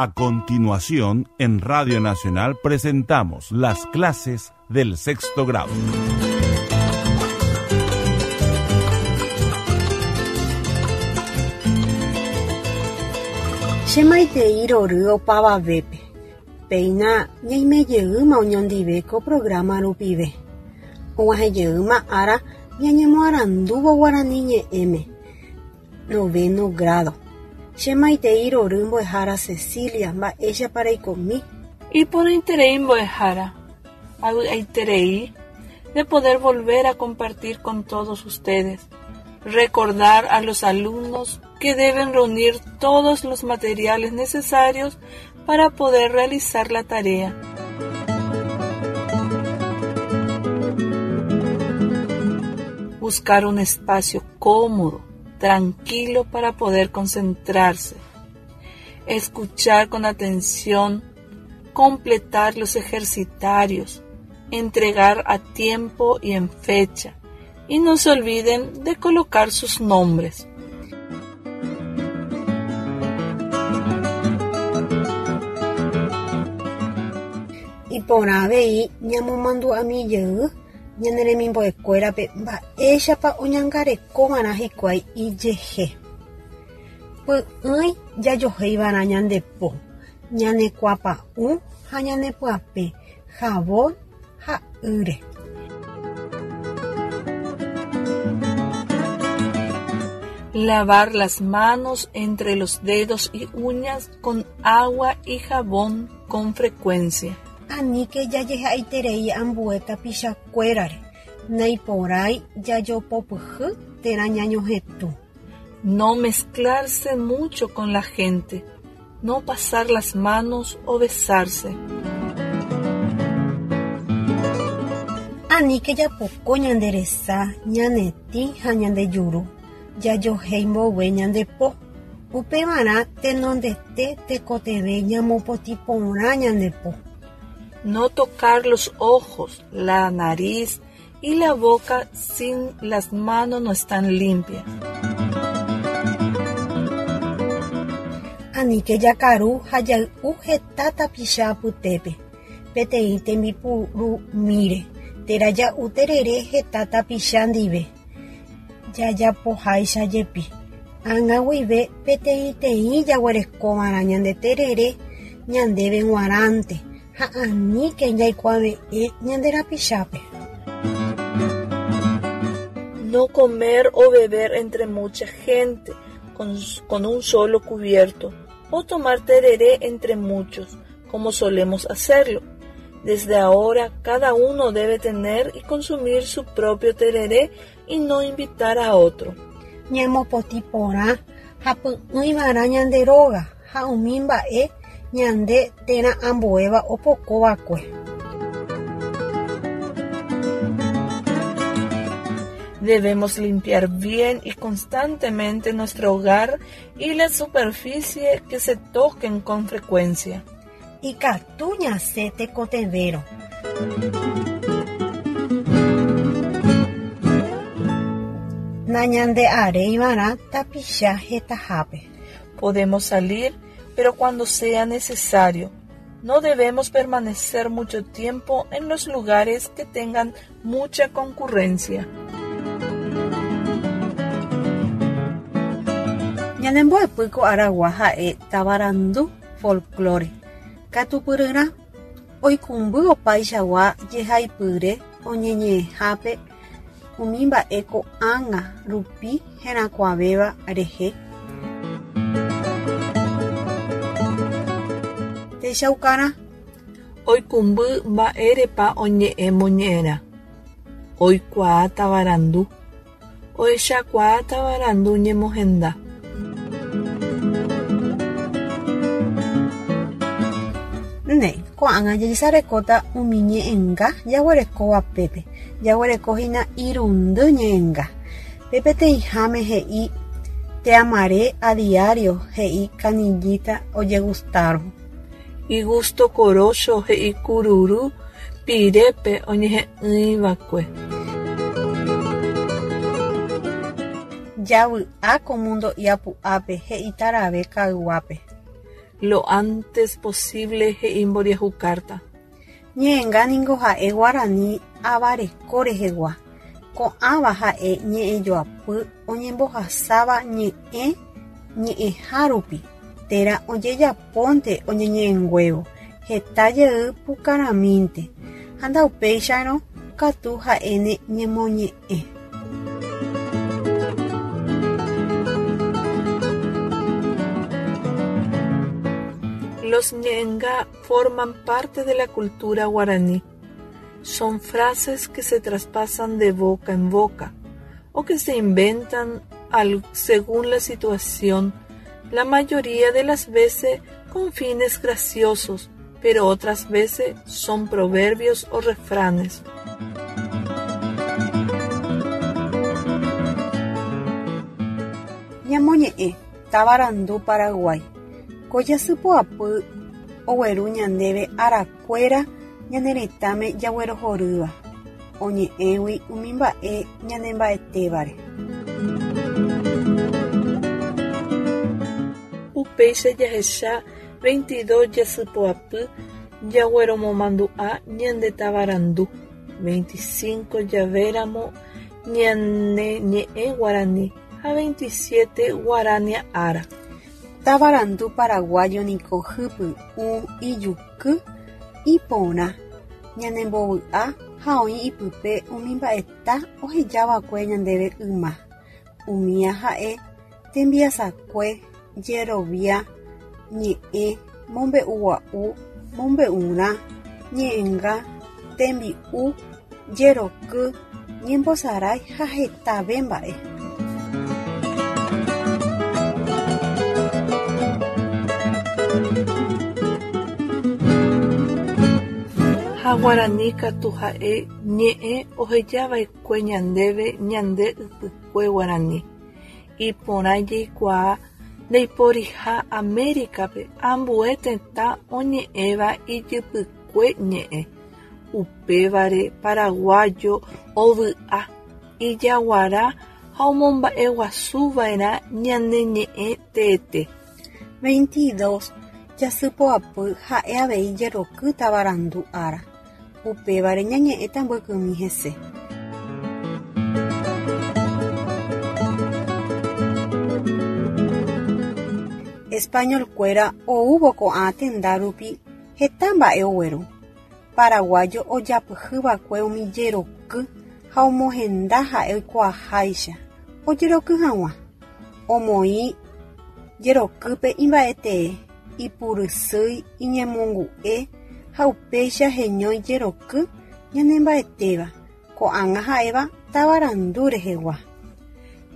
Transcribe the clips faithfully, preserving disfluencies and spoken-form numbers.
A continuación, en Radio Nacional presentamos las clases del sexto grado. Che maitei rory opavavépe. Péina ñaimejeýma oñondive ko programa rupive. Og̃uahẽjeýma ára ñañemoarandúvo guarani ñe'ẽme. Noveno grado. Che maitei rory mbo'ehára Cecilia, mba'éichapa reikomi. Iporãiterei mbo'ehára. Avy'aiterei de poder volver a compartir con todos ustedes. Recordar a los alumnos que deben reunir todos los materiales necesarios para poder realizar la tarea. Buscar un espacio cómodo, tranquilo para poder concentrarse. Escuchar con atención, completar los ejercitarios, entregar a tiempo y en fecha. Y no se olviden de colocar sus nombres. Iporã avei ñamomandu'amijey ñane remimbo'ekuérape mba'éichapa oñangarekova'erã hikuái ijehe. Py'ỹi jajohéiva'erã ñande po, ñane kuãpa'ũ ha ñane pyapẽ jabón ha ýre. Lavar las manos entre los dedos y uñas con agua y jabón con frecuencia. Aníke jajehe'aiterei ambue tapichakuérare, naiporãi jajopopyhy térã ñañohetũ. No mezclarse mucho con la gente, no pasar las manos o besarse. Aníke japoko ñande resa, ñane tĩ ha ñande juru, jajohéi mboyve ñande po. Upevarã tenondete tekotevẽ ñamopotĩ porã ñande po. No tocar los ojos, la nariz y la boca sin las manos no están limpias. Aníke jakaru ha jay'u heta tapicha apytépe, peteĩ tembipurumíre térã ja'u terere heta tapicha ndive. Jajapoháicha jepi. Ág̃a guive peteĩteĩ jaguerekova'erã ñande terere ñandéve g̃uarãnte ha aníke jaikuave'ẽ ñande rapichápe. No comer o beber entre mucha gente con, con un solo cubierto o tomar tereré entre muchos, como solemos hacerlo. Desde ahora cada uno debe tener y consumir su propio tereré y no invitar a otro. Ñamopotĩ porã ha py'ỹiva'erã ñande róga ha umi mba'e ñande térã ambuéva opokova'ekue. Debemos limpiar bien y constantemente nuestro hogar y la superficie que se toquen con frecuencia. Ikatu ñasẽ tekotevérõ. Nañande'aréiva'erã tapicha hetahápe. Podemos salir, pero cuando sea necesario. No debemos permanecer mucho tiempo en los lugares que tengan mucha concurrencia. Ñanembo'epy ko aragua ha'e tavarandu folklore. Katupyryrã oikũmby opaichagua jehaipyre oñeñe'ẽhápe umi mba'e ko'ág̃a rupi herakuãvéva rehe. Techaukarã. Oikũmby mba'érepa oñe'ẽ moñe'ẽrã. Oikuaa tavarandu. Ohechakuaa tavarandu ñemohenda. Néi, ko'ág̃a jajesarekóta umi ñe'ẽnga jaguerekóva pépe. Jaguerekohína irundy ñe'ẽnga. Pe peteĩháme he'i Te amaré a diario he'i Canillita ojegustárõ. Igusto korócho he'i kururu pirépe oñehe'ỹiva'ekue. Javy'a ko mundo iapu'ápe he'i tarave kayguápe. Lo antes posible he'i mboriahu carta. Ñe'ẽnga niko ha'e guarani avareko rehegua. Ko'ãva ha'e ñe'ẽjoapy oñembohasáva ñe'ẽ ñe'ẽha rupi térã ojejapónte oñeñe'ẽnguévo heta jey pukarãmínte ha ndaupéicharõ katu ha'éne ñemoñe'ẽ. Los ñe'ẽnga forman parte de la cultura guaraní. Son frases que se traspasan de boca en boca o que se inventan al, según la situación, la mayoría de las veces con fines graciosos, pero otras veces son proverbios o refranes. Ñamoñe'ẽ tavarandu Paraguay. Ko jasypoapy ogueru ñandéve arakuéra ñane retãme jaguerohorýva oñe'ẽgui umi mba'e ñanemba'etévare. Upéicha jahecha veintidós jasypoapy jagueromomandu'a ñande tavarandu, veinticinco javéramo ñane ñe'ẽ guarani ha veintisiete guarania ára. Tavarandu paraguayo niko hypy'ũ ijuky iporã ñanembovy'a ha oĩ ipype umi mba'eta ohejava'ekue ñandéve yma. Umía ha'e tembiasakue, jerovia, ñe'ẽ, mombe'ugua'u, mombe'urã, ñe'ẽnga, tembi'u, jeroky, ñembosarái ha hetave mba'e. Ha guarani katu ha'e ñe'ẽ ohejava'ekue ñandéve ñande ypykue guarani. Iporã jaikuaa ndaiporiha Américape ambue tetã oñe'ẽva ijypykue ñe'ẽ. Upévare paraguayo ovy'a, ijaguara ha omomba'eguasuva'erã ñane ñe'ẽ teete. Veintidós jasypoapy ha'e avei jeroky tavarandu ára. Upévare ñañe'ẽta mbykymi hese. Españolkuéra oúvo ko'ã tenda rupi heta mba'e ogueru. Paraguayo ojapyhyva'ekue umi jeroky ha omohenda ha'e oikuaaháicha ojeroky hag̃ua. Omoĩ jerokýpe imba'etee, ipurysýi, iñemongu'e ha upéicha heñói jeroky ñanemba'etéva ko'ág̃a ha'éva tavarandu rehegua.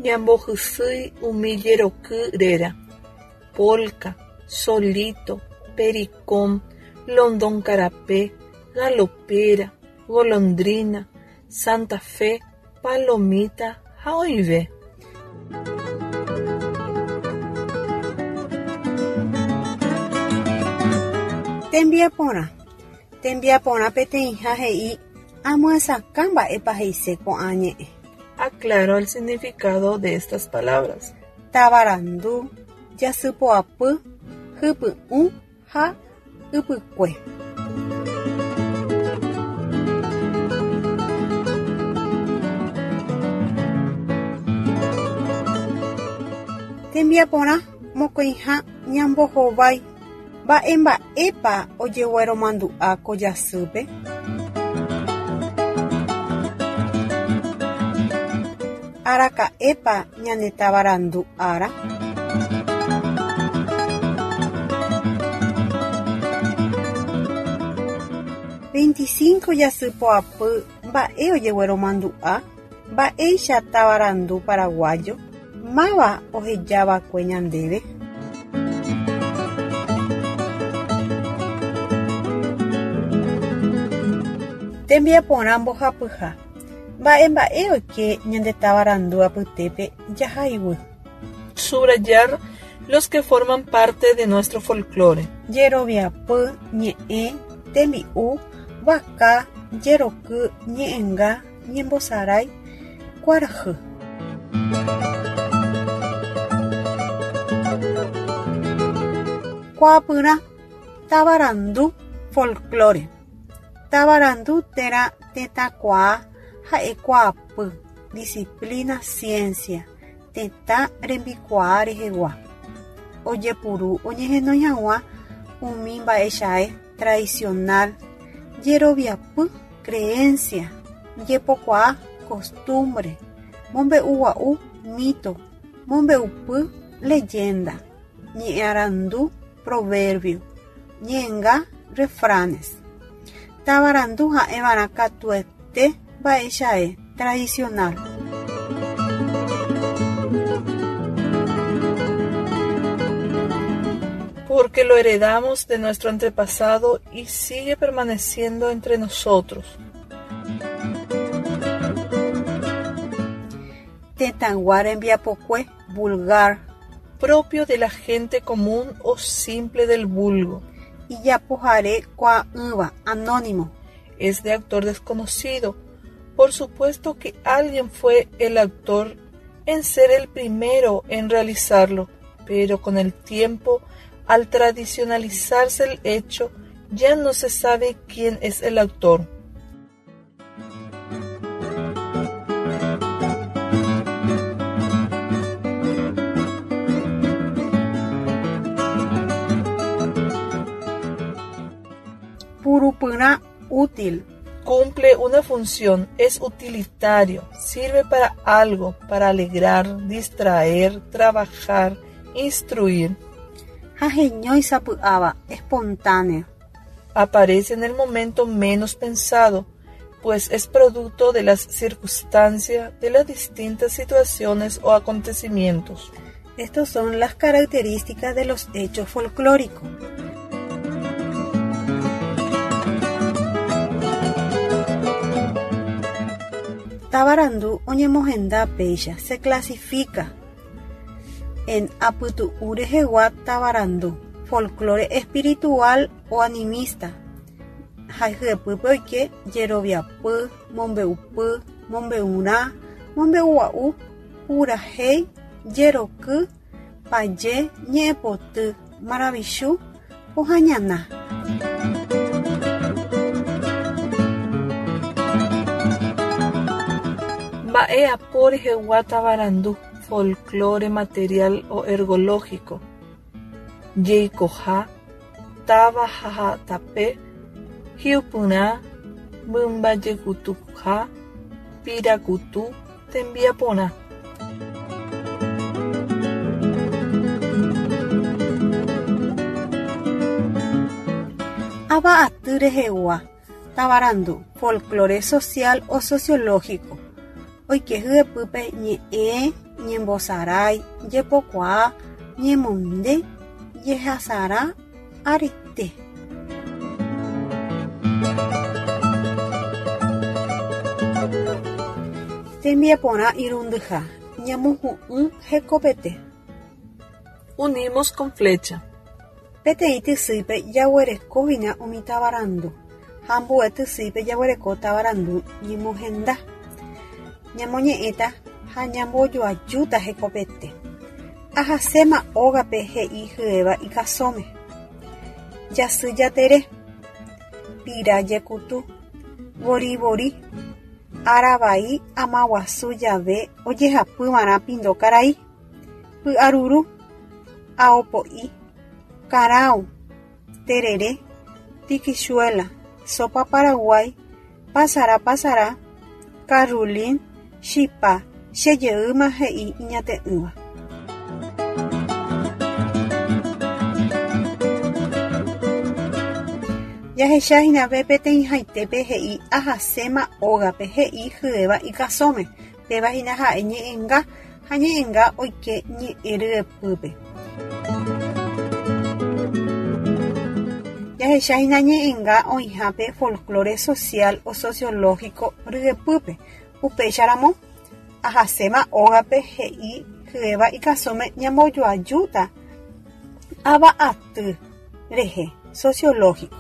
Ñambohysýi umi jeroky réra: polka, solito, pericón, London karape, galopera, golondrina, Santa Fe, palomita ha oĩve. Tembiaporã. Tembiaporã peteĩha he'i amyasakã mba'épa he'ise ko'ã ñe'ẽ. Aclaro el significado de estas palabras. Tavarandu, jasypoapy, hypy'ũ ha ypykue. Tembiaporã mokõiha ñambohovái mba'e mba'épa ojegueromandu'a ko jasýpe. Araka'épa ñane tavarandu ára. Veinticinco jasypoapy mba'e ojegueromandu'a mba'éicha tavarandu paraguayo máva ohejava'ekue ñandéve. Tembiaporã mbohapyha. Mba'e mba'e oike ñande tavarandu apytépe jahaiguy. Subrayar los que forman parte de nuestro folclore. Jeroviapy, ñe'ẽ, tembi'u, vaka, jeroky, ñe'ẽnga, ñembosarái, kuarahy. Kuaapyrã tavarandu folklore. Tavarandu térã tetãkuaa ha'ekuaapy disciplina ciencia tetã rembikuaa rehegua. Ojepuru oñehenói hag̃ua umi mba'echae tradicional jeroviapy creencia jepokuaa costumbre mombe'ugua'u mito mombe'upy leyenda ñe'ẽarandu proverbio ñe'ẽnga refranes. Tavarandu ha'eva'erã katuete mba'echae tradicional. Porque lo heredamos de nuestro antepasado y sigue permaneciendo entre nosotros. Tetãygua rembiapokue vulgar. Propio de la gente común o simple del vulgo. Ijapohare kuaa'ỹva anónimo. Es de autor desconocido. Por supuesto que alguien fue el autor en ser el primero en realizarlo, pero con el tiempo, al tradicionalizarse el hecho, ya no se sabe quién es el autor. Purupyrã útil. Cumple una función, es utilitario, sirve para algo, para alegrar, distraer, trabajar, instruir. Ha heñói sapy'áva, espontáneo. Aparece en el momento menos pensado, pues es producto de las circunstancias, de las distintas situaciones o acontecimientos. Estas son las características de los hechos folclóricos. Tavarandu oñemohenda péicha se clasifica en apytu'ũ rehegua tavarandu, folklore espiritual o animista, ha hyepýpe oike jeroviapy, mombe'upy, mombe'urã, mombe'ugua'u, purahéi, jeroky, paje, ñe'ẽpoty, maravichu, pohãñana. Mba'e apo rehegua tavarandu, folklore material o ergológico, jeikoha, táva ha tape, hi'upyrã, mymbajekutuha, pirakutu, tembiaporã. Ava aty rehegua tavarandu, folklore social o sociológico, oike hyepýpe ñe'ẽ, ñembosarái, jepokuaa, ñemonde, jehasarã, arete. Tembiaporã irundyha ñamohu'ũ hekopete. Unimos con flecha. Peteĩ tysýipe jaguerekohína umi tavarandu ha ambue tysýipe jaguereko tavarandu ñemohenda. Ñamoñe'ẽta ha ñambojoajúta hekopete. Ahaséma ógape he'i hyéva ikasõme. Jasy jatere, pira jekutu, vorivori, aravai amaguasu jave ojehapyva'erã pindo karai, py'aruru, aopo'i, karão, terere, tikichuéla, sopa paraguái, pasara pasara, karrulin, chipa, chejeýma he'i iñate'ỹva. Jahechahína peteĩhaitépe he'i ahaséma ógape he'i hyéva ikasõme péva hína ha'e ñe'ẽnga ha ñe'ẽnga oike ñe'ẽ ryepýpe. Jahechahína ñe'ẽnga oĩhápe folklore social o sociológico ryepýpe upéicharamo ahaséma ógape he'i hyéva ikasõme ñambojoajúta ava'aty rehe sociológico.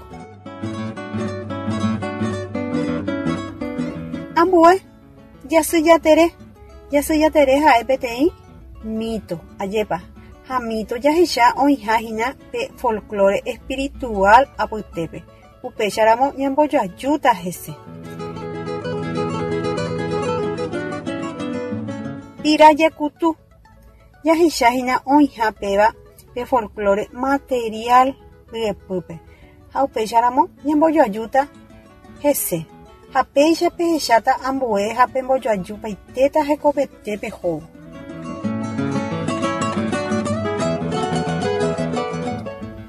Ambue jasy jatere, jasy jatere ha'e peteĩ mito, ajépa, Ha mito jahecha oĩhahína pe folklore espiritual apytépe. Upéicharamo ñambojoajúta hese. Pira jekutu. Jahechahína oĩha péva pe folklore material ryepýpe. Ha upéicharamo ñambojoajúta hese. Ha péicha pehecháta ambue ha pembojoajupaitéta hekopete pehóvo.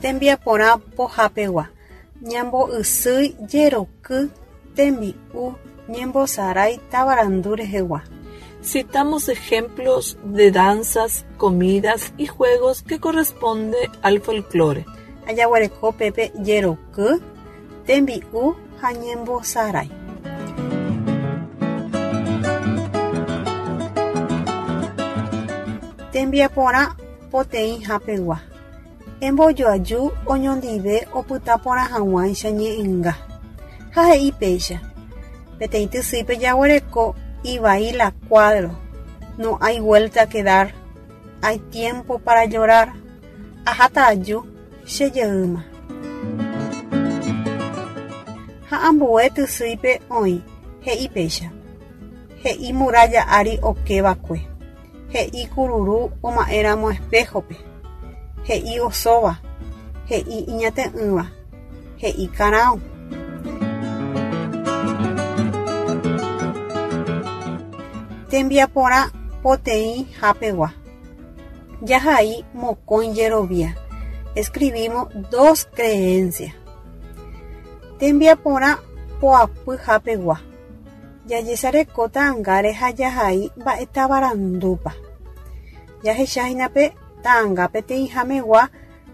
Tembiaporã pohapegua. Ñamboysýi jeroky tembi'u ñembosarái tavarandu rehegua. Citamos ejemplos de danzas, comidas y juegos que corresponde al folclore. Jaguereko pépe jeroky, tembi'u ha ñembosarái. Tembiaporã poteĩhapegua. Embojoaju oñondive opytaporã hag̃uáicha ñe'ẽnga. Ha he'i péicha. Peteĩ tysýipe jaguereko ivai la cuadro. No hay vuelta que dar. Hay tiempo para llorar. Aháta aju chejeýma. Ha ambue tysýipe oĩ he'i péicha. He'i muralla ári okeva'ekue. He'i kururu oma'éramo espejo-pe. He'i osóva. He'i iñate'ỹva. He'i karão. Tembiaporã poteĩhapegua. Jahai mokõi jerovia. Escribimos dos creencias. Tembiaporã poapyhapegua. Jajesareko ta'ãngáre ha jahai mba'e tavarandúpa. Jahechahína pe ta'ãnga peteĩhamegua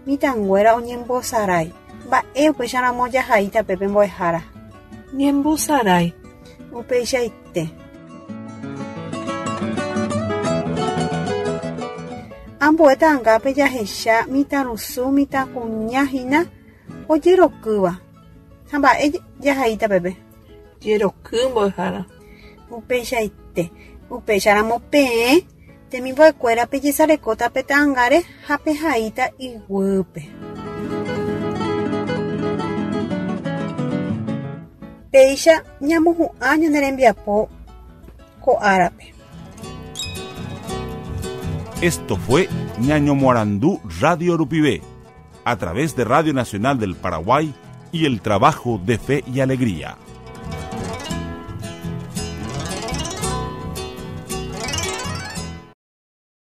mitãnguéra oñembosarái. Mba'e upéicharamo jahaíta pépe mbo'ehára. Ñembosarái. Upeichaite. Ambue ta'ãngápe jahecha mitãrusu mitãkuñahína ojerokýva. Ha mba'e jahaíta pépe. Jeroky mbo'ehára. Upeichaite. Upéicharamo peẽ temimbo'ekuéra pejesarekóta pe ta'ãngáre ha pehaíta iguýpe. Péicha ñamohu'ã ñane rembiapo ko árape. Esto fue Ñañomoarandú Radio Rupive, a través de Radio Nacional del Paraguay y el trabajo de Fe y Alegría.